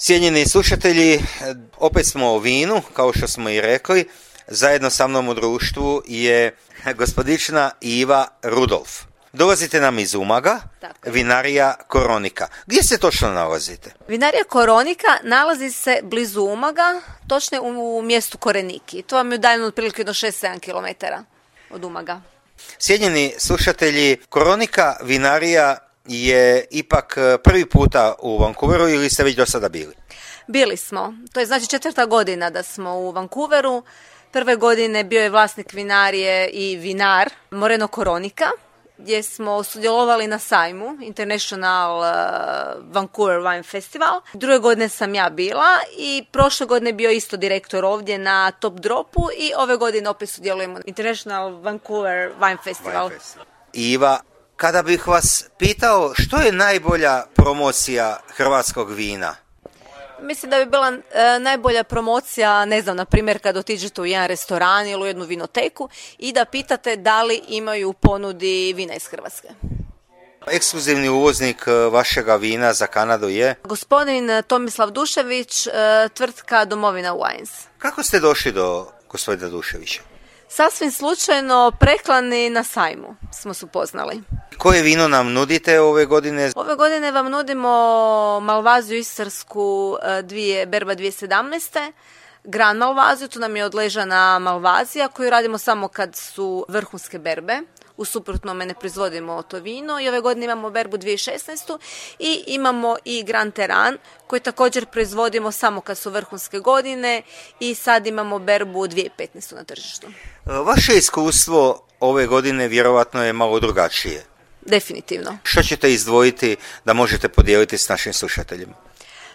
Cijenjeni slušatelji, opet smo o vinu, kao što smo i rekli. Zajedno sa mnom u društvu je gospodična Iva Rudolf. Dolazite nam iz Umaga, vinarija Koronika. Gdje se točno nalazite? Vinarija Koronika nalazi se blizu Umaga, točno u mjestu Koreniki. To vam je udaljeno otprilike do 6-7 km od Umaga. Cijenjeni slušatelji, Koronika vinarija je ipak prvi puta u Vancouveru ili ste već do sada bili? Bili smo. To je znači 4. godina da smo u Vancouveru. Prve godine bio je vlasnik vinarije i vinar Moreno Koronika, gdje smo sudjelovali na sajmu International Vancouver Wine Festival. Druge godine sam ja bila i prošle godine bio isto direktor ovdje na Top Dropu i ove godine opet sudjelujemo na International Vancouver Wine Festival. Iva, kada bih vas pitao što je najbolja promocija hrvatskog vina? Mislim da bi bila najbolja promocija, ne znam, na primjer kad otiđete u jedan restoran ili u jednu vinoteku i da pitate da li imaju u ponudi vina iz Hrvatske. Ekskluzivni uvoznik vašega vina za Kanadu je? Gospodin Tomislav Dušević, tvrtka Domovina Wines. Kako ste došli do gospodina Duševića? Sasvim slučajno preklani na sajmu smo se upoznali. Koje vino nam nudite ove godine? Ove godine vam nudimo Malvaziju istarsku berba 2017. Gran Malvaziju, to nam je odležana Malvazija koju radimo samo kad su vrhunske berbe. U suprotnome ne proizvodimo to vino i ove godine imamo berbu 2016. i imamo i Grand Teran koji također proizvodimo samo kad su vrhunske godine i sad imamo berbu 2015. na tržištu. Vaše iskustvo ove godine vjerovatno je malo drugačije. Definitivno. Što ćete izdvojiti da možete podijeliti s našim slušateljima?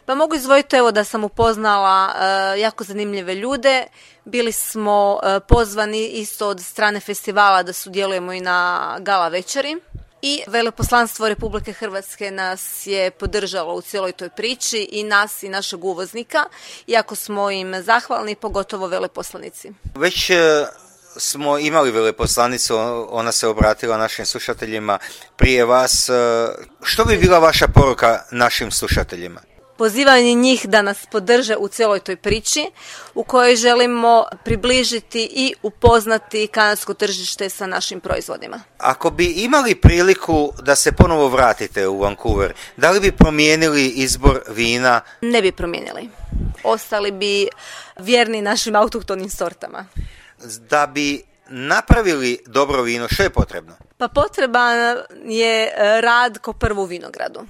Pa mogu izdvojiti da sam upoznala jako zanimljive ljude. Bili smo pozvani isto od strane festivala da sudjelujemo i na gala večeri. I veleposlanstvo Republike Hrvatske nas je podržalo u cijeloj toj priči i nas i našeg uvoznika. Iako smo im zahvalni, pogotovo veleposlanici. Već smo imali veleposlanicu, ona se obratila našim slušateljima prije vas. Što bi bila vaša poruka našim slušateljima? Pozivanje njih da nas podrže u cijeloj toj priči u kojoj želimo približiti i upoznati kanadsko tržište sa našim proizvodima. Ako bi imali priliku da se ponovo vratite u Vancouver, da li bi promijenili izbor vina? Ne bi promijenili. Ostali bi vjerni našim autohtonim sortama. Da bi napravili dobro vino, što je potrebno? Pa potreban je rad ko prvo u vinogradu,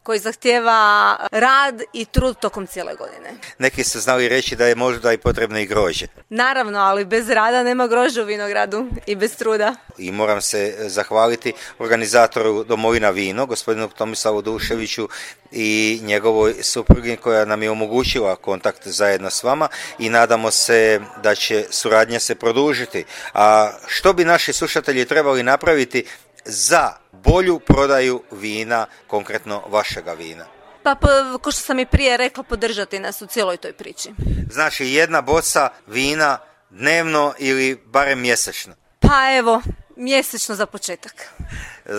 koji zahtijeva rad i trud tokom cijele godine. Neki su znali reći da je možda i potrebno i grožđe. Naravno, ali bez rada nema grožđa u vinogradu i bez truda. I moram se zahvaliti organizatoru Domovina vino, gospodinu Tomislavu Duševiću i njegovoj suprugi koja nam je omogućila kontakt zajedno s vama i nadamo se da će suradnja se produžiti. A što bi naši slušatelji trebali napraviti za bolju prodaju vina, konkretno vašega vina? Pa, ko što sam i prije rekla, podržati nas u cijeloj toj priči. Znači jedna boca vina dnevno ili barem mjesečno? Pa evo, mjesečno za početak.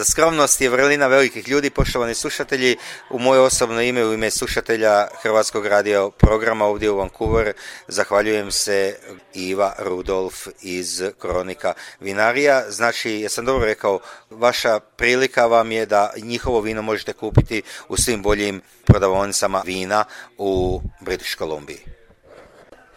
Skromnost je vrlina velikih ljudi, poštovani slušatelji. U moje osobno ime, u ime slušatelja Hrvatskog radio programa ovdje u Vancouver, zahvaljujem se Iva Rudolf iz Koronika vinarija. Znači, jesam dobro rekao, vaša prilika vam je da njihovo vino možete kupiti u svim boljim prodavaonicama vina u British Columbiji.